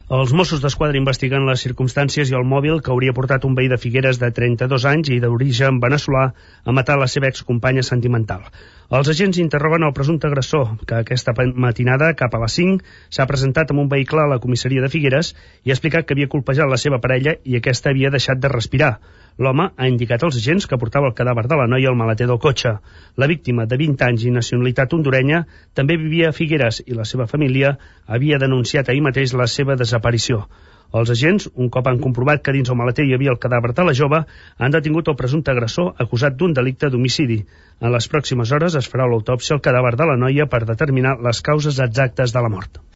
Els Mossos d'Esquadra investiguen les circumstàncies i el mòbil que hauria portat un veí de Figueres de 32 anys i d'origen veneçolà a matar la seva excompanya sentimental. Els agents interroguen el presumpte agressor, que aquesta matinada, cap a les 5, s'ha presentat amb un vehicle a la comissaria de Figueres i ha explicat que havia colpejat la seva parella i aquesta havia deixat de respirar. L'home ha indicat als agents que portava el cadàver de la noia al maleter del cotxe. La víctima, de 20 anys i nacionalitat hondurenya, també vivia a Figueres i la seva família havia denunciat ahir mateix la seva desaparició. Els agents, un cop han comprovat que dins el maleter hi havia el cadàver de la jove, han detingut el presumpte agressor acusat d'un delicte d'homicidi. En les pròximes hores es farà l'autòpsia al cadàver de la noia per determinar les causes exactes de la mort.